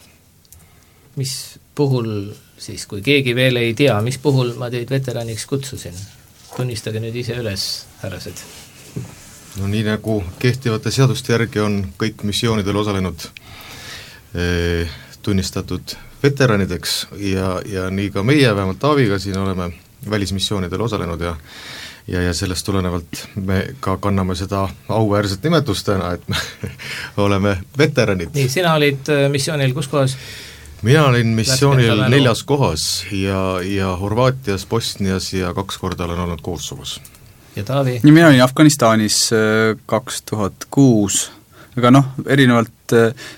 Mis puhul siis, kui keegi veel ei tea, mis puhul ma teid veteraniks kutsusin? Tunnistage nüüd ise üles, härrased. No nii nagu kehtivate seaduste järgi on kõik missioonidel osalenud eh, tunnistatud veteranideks ja, ja nii ka meie, vähemalt Taaviga siin oleme välismissioonidel osalenud ja, ja, ja sellest tulenevalt me ka kanname seda auväärset nimetust täna, et me oleme veteranid. nii, sina olid missioonil kus kohas? Mina olin missioonil neljas kohas ja, ja Horvaatias, Bosnias ja kaks korda olen olnud Kosovos. Ja Taavi? ja mina olin Afganistanis kaks tuhat kuus, aga noh, erinevalt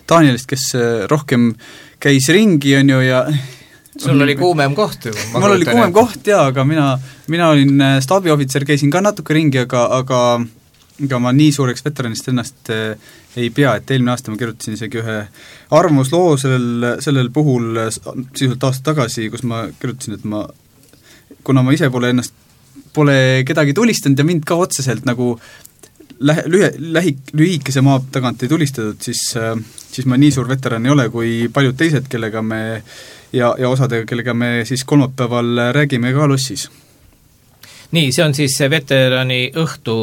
Danielist, kes rohkem käis ringi, on ju, ja sul oli kuumem koht ju. Mul oli kuumem koht, jaa, aga mina, mina olin staabiohvitser, käisin ka natuke ringi, aga, aga ega ma nii suureks veteranist ennast ei pea, et eelmine aasta ma kirjutasin isegi ühe arvamusloo sellel, sellel puhul sisuliselt aasta tagasi, kus ma kirjutasin, et ma, kuna ma ise pole ennast, pole kedagi tulistanud ja mind ka otseselt nagu lähe, lühe, lähi, lühikese maa tagant ei tulistatud, siis, siis ma nii suur veteran ei ole kui paljud teised, kellega me ja, ja osadega, kellega me siis kolmapäeval räägime ka lossis. Nii, see on siis see veterani õhtu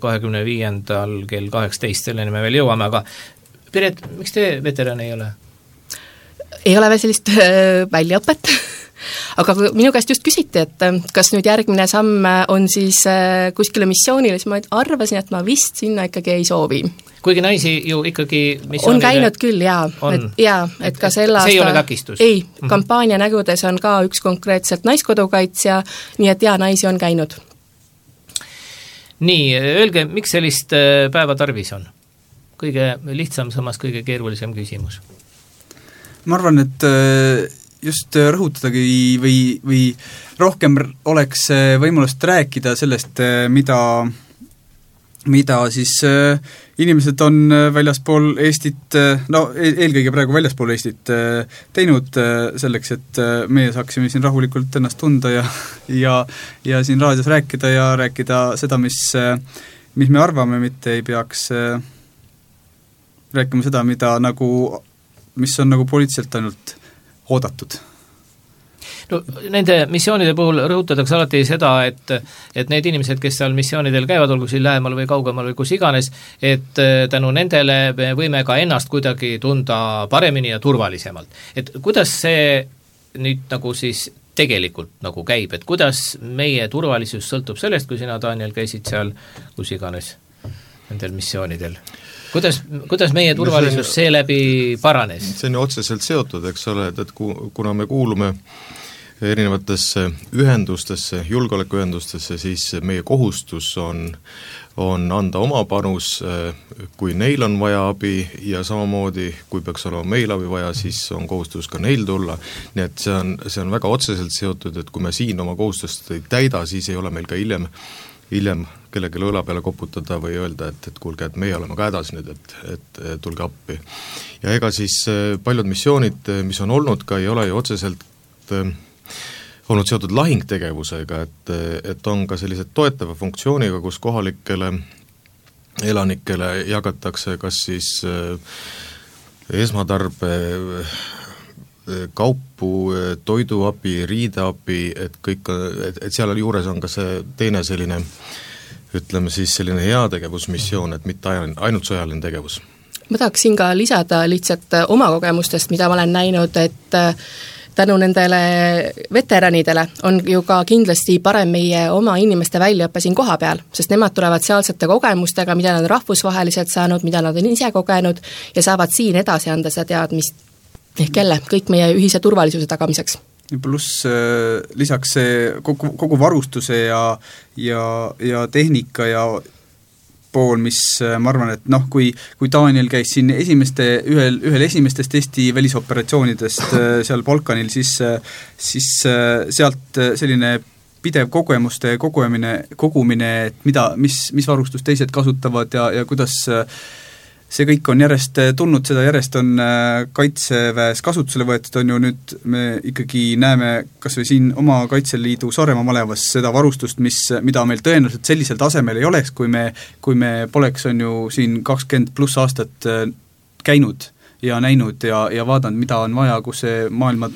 kahekümne viiendal kell kaheksateist, selleni me veel jõuame, aga Piret, miks te veteran ei ole? Ei ole veel sellist äh, väljaõpet, aga kui minu käest just küsiti, et kas nüüd järgmine samm on siis äh, kuskile missioonile, siis ma arvasin, et ma vist sinna ikkagi ei soovi. Kuigi naisi ju ikkagi missioonile on käinud küll, jaa, et, jaa, et ka selle aasta see ei ole takistus? Ei, mm-hmm. kampaania nägudes on ka üks konkreetselt naiskodukaitsja, nii et jaa, naisi on käinud. Nii, öelge, miks sellist päeva tarvis on? Kõige lihtsam, samas kõige keerulisem küsimus. Ma arvan, et just rõhutadagi või, või rohkem oleks võimalust rääkida sellest, mida mida siis äh, inimesed on väljaspool Eestit, no eelkõige praegu väljaspool Eestit äh, teinud äh, selleks, et äh, meie saaksime siin rahulikult ennast tunda ja, ja, ja siin raadios rääkida ja rääkida seda, mis, äh, mis me arvame, mitte ei peaks äh, rääkima seda, mida nagu, mis on nagu poliitiliselt ainult oodatud. No, nende missioonide puhul rõhutatakse alati seda, et, et need inimesed, kes seal missioonidel käivad, olgu siin lähemal või kaugemal või kus iganes, et tänu nendele me võime ka ennast kuidagi tunda paremini ja turvalisemalt. Et kuidas see nüüd nagu siis tegelikult nagu käib, et kuidas meie turvalisus sõltub sellest, kui sina, Daniel, käisid seal kus iganes nendel missioonidel? Kuidas, kuidas meie turvalisus seeläbi paranes? See on ju otseselt seotud, eks ole, et, et kuna me kuulume erinevatesse ühendustesse, julgeolekuühendustesse, siis meie kohustus on, on anda oma panus, kui neil on vaja abi ja samamoodi, kui peaks olema meil abi vaja, siis on kohustus ka neil tulla. Nii et see on, see on väga otseselt seotud, et kui me siin oma kohustust ei täida, siis ei ole meil ka hiljem, hiljem kellelegi õla peale koputada või öelda, et, et kuulge, et meie oleme ka hädas nüüd, et, et tulge appi. Ja ega siis paljud missioonid, mis on olnud ka, ei ole ju otseselt olnud seotud lahingtegevusega, et, et on ka sellised toetava funktsiooniga, kus kohalikele elanikele jagatakse kas siis esmatarbe kaupu, toiduabi, riideabi, et kõik, et, et seal juures on ka see teine selline, ütleme siis selline heategevusmissioon, et mitte ainult sõjaline tegevus. Ma tahaksin ka lisada lihtsalt oma kogemustest, mida ma olen näinud, et tänu nendele veteranidele on ju ka kindlasti parem meie oma inimeste väljaõppe siin koha peal, sest nemad tulevad sealsete kogemustega, mida nad on rahvusvaheliselt saanud, mida nad on ise kogenud ja saavad siin edasi anda seda teadmist ehk jälle kõik meie ühise turvalisuse tagamiseks. Pluss äh, lisaks see kogu, kogu varustuse ja, ja, ja tehnika ja pool, mis ma arvan, et noh, kui, kui Daniel käis siin esimeste, ühel, ühel esimestest Eesti välisoperatsioonidest seal Balkanil, siis, siis sealt selline pidev kogemuste kogumine, kogumine, et mida, mis, mis varustust teised kasutavad ja, ja kuidas see kõik on järjest tulnud, seda järjest on Kaitseväes kasutusele võetud, on ju nüüd me ikkagi näeme kas või siin oma Kaitseliidu Saaremaa malevas seda varustust, mis, mida meil tõenäoliselt sellisel tasemel ei oleks, kui me, kui me poleks, on ju siin kakskümmend pluss aastat käinud ja näinud ja, ja vaadanud, mida on vaja, kus see maailma,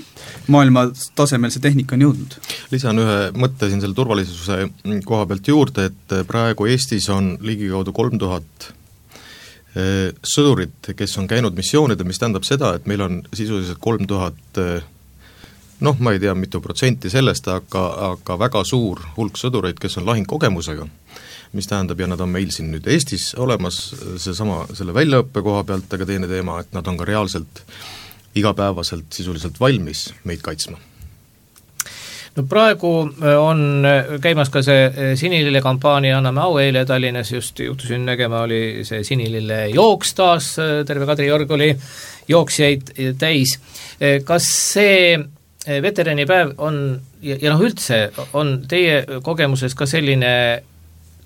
maailma tasemel see tehnika on jõudnud. Lisan ühe mõtte siin selle turvalisuse koha pealt juurde, et praegu Eestis on ligikaudu kolm tuhat sõdurit, kes on käinud missioonidel, mis tähendab seda, et meil on sisuliselt kolm tuhat noh, ma ei tea, mitu protsenti sellest, aga, aga väga suur hulk sõdureid, kes on lahingkogemusega, mis tähendab, ja nad on meil siin nüüd Eestis olemas, seesama, selle väljaõppe koha pealt, aga teine teema, et nad on ka reaalselt igapäevaselt sisuliselt valmis meid kaitsma. No praegu on käimas ka see Sinilille kampaania, anname au, eile Tallinnas just juhtusin nägema, oli see Sinilille jooks taas, terve Kadriorg oli jooksjaid täis. Kas see veteranipäev on, ja, ja noh üldse, on teie kogemuses ka selline,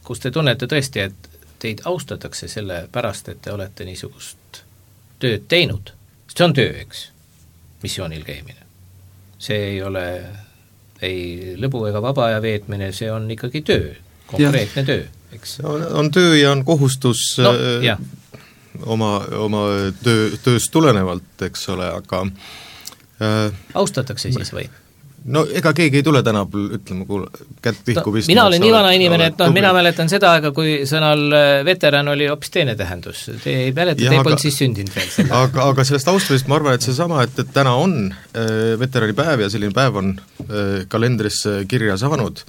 kus te tunnete tõesti, et teid austatakse selle pärast, et te olete niisugust tööd teinud? See on töö, eks, missioonil käimine. See ei ole ei lõbu ega vaba aja veetmine, see on ikkagi töö, konkreetne ja. töö, eks. On, on töö ja on kohustus no, äh, oma, oma töö, tööst tulenevalt, eks ole, aga äh, austatakse siis või? No ega keegi ei tule tänapäeval, ütleme, kuule, kätt pihku pistma. Mina olen nii vana inimene, et noh, mina mäletan seda aega, kui sõnal veteran oli hoopis teine tähendus. Te ei mäleta, te ei polnud siis sündinud veel selle. Aga, aga sellest austamist ma arvan, et see sama, et, et täna on äh, veteranipäev ja selline päev on äh, kalendrisse kirja saanud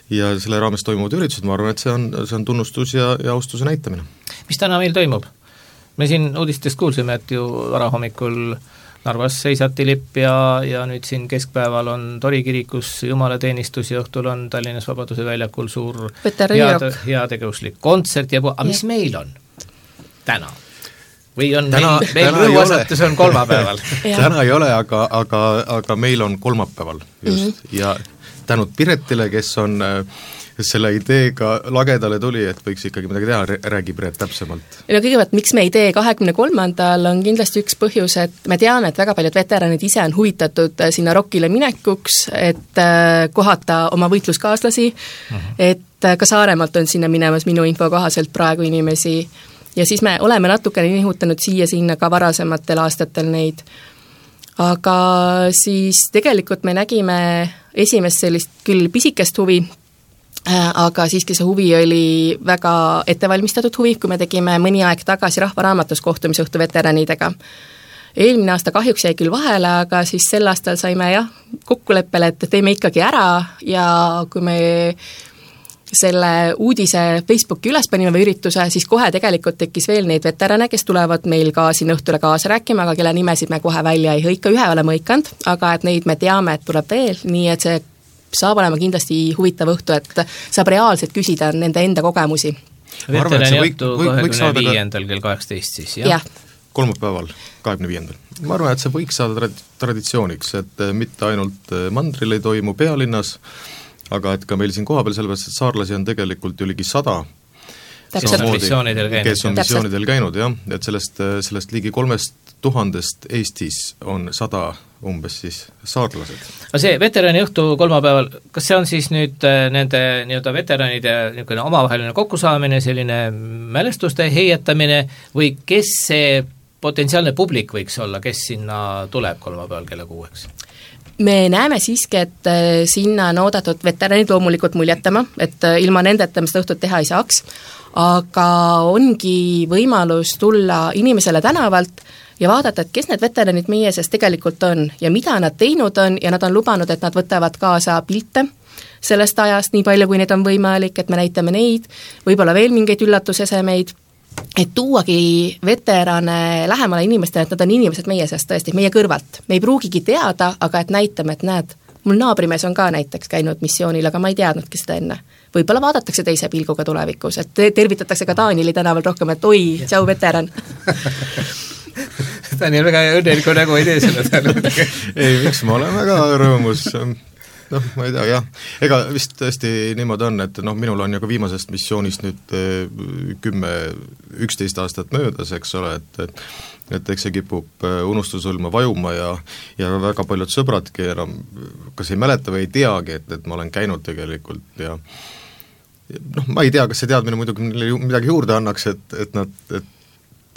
ja selle raames toimuvad üritused, ma arvan, et see on, see on tunnustus ja, ja austuse näitamine. Mis täna meil toimub? Me siin uudistest kuulsime, et ju varahommikul Narvas seisati lipp ja, ja nüüd siin keskpäeval on Tori kirikus jumalateenistus ja õhtul on Tallinnas Vabaduse väljakul suur heade, heategevuslik kontsert ja aga mis ja. meil on täna? Või on täna, meil, meil rõhuasetus on kolmapäeval? Täna ei ole, aga, aga, aga meil on kolmapäeval just mm-hmm. ja tänud Piretile, kes on selle ideega lagedale tuli, et võiks ikkagi midagi teha, räägi Piret täpsemalt. No kõigepealt, miks me ei tee kahekümne kolmandal on kindlasti üks põhjus, et me teame, et väga paljud veteranid ise on huvitatud sinna rokile minekuks, et kohata oma võitluskaaslasi, uh-huh. et ka Saaremaalt on sinna minemas minu info kohaselt praegu inimesi ja siis me oleme natukene nihutanud siia-sinna ka varasematel aastatel neid. Aga siis tegelikult me nägime esimest sellist küll pisikest huvi, aga siiski see huvi oli väga ettevalmistatud huvi, kui me tegime mõni aeg tagasi Rahvaraamatus kohtumisõhtu veteranidega. Eelmine aasta kahjuks jäi küll vahele, aga siis sel aastal saime jah, kokkuleppele, et teeme ikkagi ära ja kui me selle uudise Facebooki üles panime või ürituse, siis kohe tegelikult tekkis veel neid veterane, kes tulevad meil ka siin õhtule kaasa rääkima, aga kelle nimesid me kohe välja ei hõika, ühe oleme hõikanud, aga et neid me teame, et tuleb veel, nii et see saab olema kindlasti huvitav õhtu, et saab reaalselt küsida nende enda kogemusi. Veterani õhtu kahekümne viiendal kell kaheksateist siis, jah? jah. Kolmapäeval, kahekümne viiendal. Ma arvan, et see võiks saada traditsiooniks, et mitte ainult mandril ei toimu pealinnas, aga et ka meil siin kohapeal sellepärast, et saarlasi on tegelikult ju ligi sada, Täpselt. Missioonidel käinud, kes on missioonidel käinud, jah, et sellest, sellest ligi kolmest tuhandest Eestis on sada umbes siis saarlased. Aga see veterani õhtu kolmapäeval, kas see on siis nüüd nende nii-öelda veteranide niisugune omavaheline kokkusaamine, selline mälestuste heietamine või kes see potentsiaalne publik võiks olla, kes sinna tuleb kolmapäeval kella kuueks? Me näeme siiski, et sinna on oodatud veteranid loomulikult muljetama, et ilma nendeta me seda õhtut teha ei saaks, aga ongi võimalus tulla inimesele tänavalt ja vaadata, et kes need veteranid meie sees tegelikult on ja mida nad teinud on ja nad on lubanud, et nad võtavad kaasa pilte sellest ajast, nii palju kui neid on võimalik, et me näitame neid, võib-olla veel mingeid üllatusesemeid, et tuuagi veterane lähemale inimestele, et nad on inimesed meie seast tõesti, meie kõrvalt. Me ei pruugigi teada, aga et näitame, et näed, mul naabrimees on ka näiteks käinud missioonil, aga ma ei teadnudki seda enne. Võib-olla vaadatakse teise pilguga tulevikus, et tervitatakse ka Taanili tänaval rohkem, et oi, tšau veteran. Daniel väga õnneliku nägu ei tee selle tänu. Ei, miks ma olen väga rõõmus, noh, ma ei tea, jah. Ega vist tõesti niimoodi on, et noh, minul on ju ka viimasest missioonist nüüd kümme, üksteist aastat möödas, eks ole, et, et et eks see kipub unustusõlma vajuma ja, ja väga paljud sõbradki enam kas ei mäleta või ei teagi, et, et ma olen käinud tegelikult ja noh, ma ei tea, kas see teadmine muidugi midagi juurde annaks, et, et nad et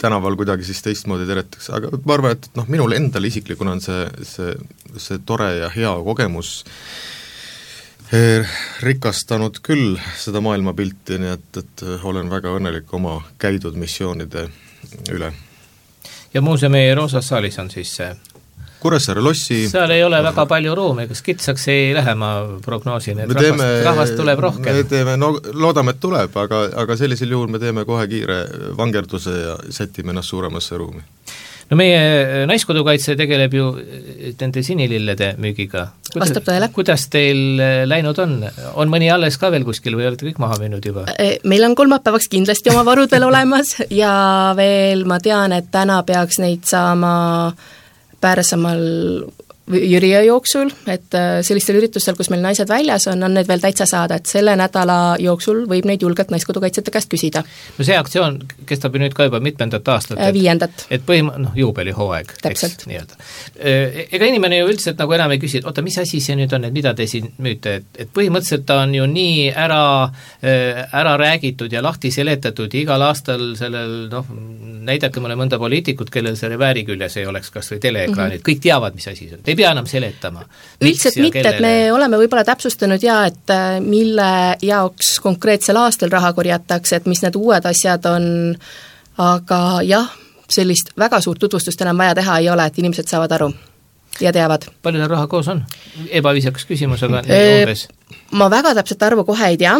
tänaval kuidagi siis teistmoodi teretaks, aga ma arvan, et noh, minul endal isiklikuna on see, see, see tore ja hea kogemus rikastanud küll seda maailmapilti, nii et, et olen väga õnnelik oma käidud missioonide üle. Ja muuseumi Roosas saalis on siis see Kuressaare lossi seal ei ole väga palju ruumi, kas kitsaks ei lähe, ma prognoosin, et me rahvast, teeme, rahvast tuleb rohkem? me teeme, no loodame, et tuleb, aga, aga sellisel juhul me teeme kohe kiire vangerduse ja sätime ennast suuremasse ruumi. No meie Naiskodukaitse tegeleb ju nende sinilillede müügiga. Vastab tõele. Kuidas teil läinud on? On mõni alles ka veel kuskil või olete kõik maha müünud juba? Meil on kolmapäevaks kindlasti oma varud veel olemas ja veel ma tean, et täna peaks neid saama Pärsamal Jüriö jooksul, et sellistel üritustel, kus meil naised väljas on, on need veel täitsa saada, et selle nädala jooksul võib neid julgelt Naiskodukaitsjate käest küsida. No see aktsioon kestab ju nüüd ka juba mitmendat aastat. Et, Viiendat. Et põhim-, noh, juubelihooaeg. Täpselt. Eks, nii-öelda. Ega inimene ju üldiselt nagu enam ei küsi, et oota, mis asi see nüüd on, et mida te siin müüte, et, et põhimõtteliselt ta on ju nii ära, ära räägitud ja lahti seletatud ja igal aastal sellel, noh, näidake mulle mõnda poliitikut, kellel selle vääri küljes ei oleks kas või teleekraanid, mm-hmm. kõik teavad, mis asi see on. Ei pea enam seletama. Üldiselt mitte, et me oleme võib-olla täpsustanud ja, et mille jaoks konkreetsel aastal raha korjatakse, et mis need uued asjad on, aga jah, sellist väga suurt tutvustust enam vaja teha ei ole, et inimesed saavad aru ja teavad. Palju teil raha koos on? Ebaviisakas küsimus, aga umbes? Ma väga täpselt arvu kohe ei tea,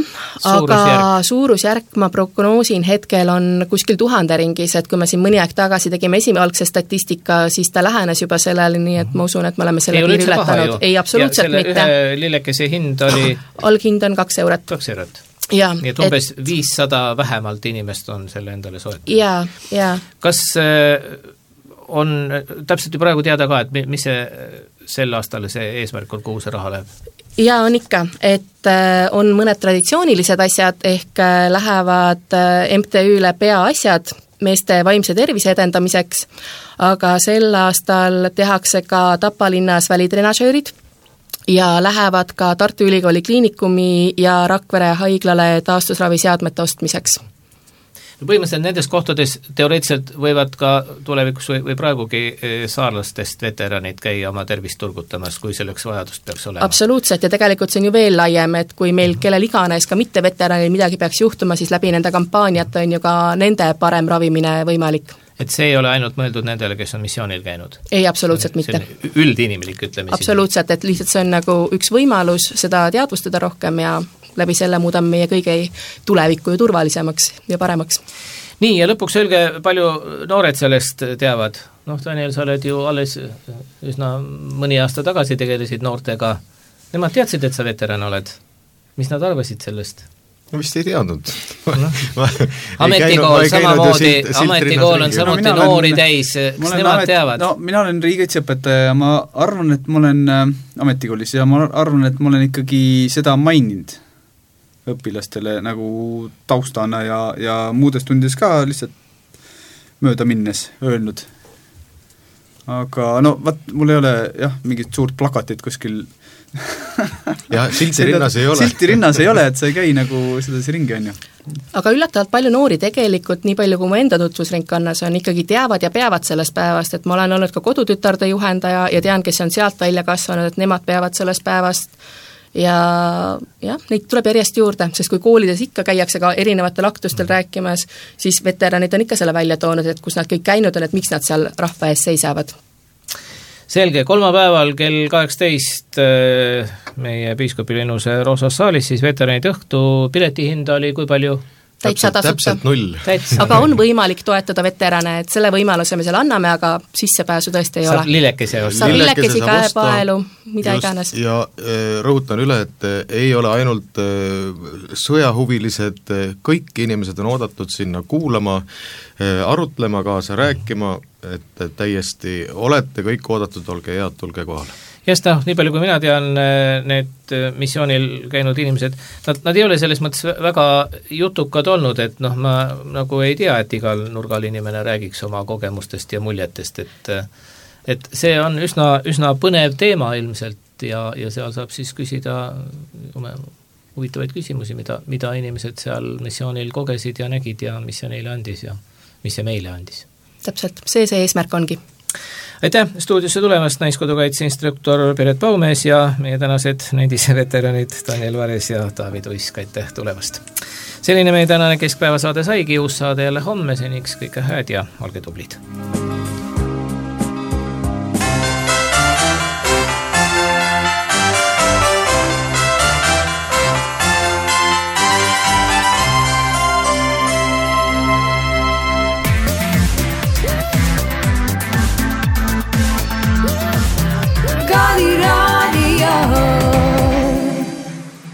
aga suurusjärk ma prognoosin hetkel on kuskil tuhande ringis, et kui me siin mõni aeg tagasi tegime esimalgse statistika, siis ta lähenes juba sellele, nii et ma usun, et me oleme selle piiri ületanud. Ei, absoluutselt ja mitte. Ühe lillekese hind oli? Alghind on kaks eurot. Kaks eurot. Ja, nii et umbes et... viissada vähemalt inimest on selle endale soetanud. Ja, ja. Kas on täpselt ju praegu teada ka, et mis see sel aastal see eesmärk on, kuhu see raha läheb? Ja on ikka, et on mõned traditsioonilised asjad, ehk lähevad M T Ü-le peaasjad meeste vaimse tervise edendamiseks, aga sel aastal tehakse ka Tapa linnas välitrenažöörid ja lähevad ka Tartu Ülikooli kliinikumi ja Rakvere haiglale taastusraviseadmete ostmiseks. No põhimõtteliselt nendes kohtades teoreetiliselt võivad ka tulevikus või, või praegugi saarlastest veteranid käia oma tervist turgutamas, kui selleks vajadust peaks olema. Absoluutselt ja tegelikult see on ju veel laiem, et kui meil kellel iganes ka mitte veteranil midagi peaks juhtuma, siis läbi nende kampaaniat on ju ka nende parem ravimine võimalik. Et see ei ole ainult mõeldud nendele, kes on missioonil käinud? Ei, absoluutselt mitte. Üldinimilik, ütleme. Absoluutselt, et lihtsalt see on nagu üks võimalus seda teadvustada rohkem ja läbi selle muudame meie kõige tulevikku ju turvalisemaks ja paremaks. Nii, ja lõpuks öelge, palju noored sellest teavad? Noh, Daniel, sa oled ju alles üsna mõni aasta tagasi tegelesid noortega. Nemad teadsid, et sa veteran oled. Mis nad arvasid sellest? No vist ei teadnud. No. ametikool samamoodi, ametikool on samuti no, noori olen, täis, kas nemad amet, teavad? No mina olen riigikaitseõpetaja ja ma arvan, et ma olen äh, ametikoolis ja ma arvan, et ma olen ikkagi seda maininud õpilastele nagu taustana ja, ja muudes tundides ka lihtsalt mööda minnes öelnud. Aga no, vaat, mul ei ole jah, mingit suurt plakatit kuskil ja silti rinnas ei ole. Silti rinnas ei ole, et sa ei käi nagu sedasi ringi, on ju. Aga üllatavalt palju noori tegelikult, nii palju kui mu enda tutvusringkonnas on, ikkagi teavad ja peavad sellest päevast, et ma olen olnud ka kodutütarde juhendaja ja tean, kes on sealt välja kasvanud, et nemad peavad sellest päevast ja jah, neid tuleb järjest juurde, sest kui koolides ikka käiakse ka erinevatel aktustel rääkimas, siis veteranid on ikka selle välja toonud, et kus nad kõik käinud on, et miks nad seal rahva ees seisavad. Selge, kolmapäeval kell kaheksateist meie piiskopilinuse Roosas saalis, siis veteranid õhtu piletihind oli kui palju? Täitsa tasuta. null. Aga on võimalik toetada veterane, et selle võimaluse me selle anname, aga sissepääsu tõesti ei saab ole. Lillekese osta. Saab lillekesi, käepaelu, mida just, iganes. Ja rõhutan üle, et ei ole ainult sõjahuvilised, kõik inimesed on oodatud sinna kuulama, arutlema, kaasa rääkima, et täiesti olete kõik oodatud, olge head, tulge kohale. Just, noh, nii palju kui mina tean, need missioonil käinud inimesed, nad, nad ei ole selles mõttes väga jutukad olnud, et noh, ma nagu ei tea, et igal nurgal inimene räägiks oma kogemustest ja muljetest, et et see on üsna, üsna põnev teema ilmselt ja, ja seal saab siis küsida huvitavaid küsimusi, mida, mida inimesed seal missioonil kogesid ja nägid ja mis see neile andis ja mis see meile andis. Täpselt, see see eesmärk ongi. Aitäh stuudiosse tulemast, Naiskodukaitse instruktor Piret Paumees ja meie tänased nendise veteranid Daniel Vares ja David Uisk, aitäh tulemast. Selline meie tänane keskpäevasaade saigi, uus saade jälle homme, seniks kõike hääd ja olge tublid.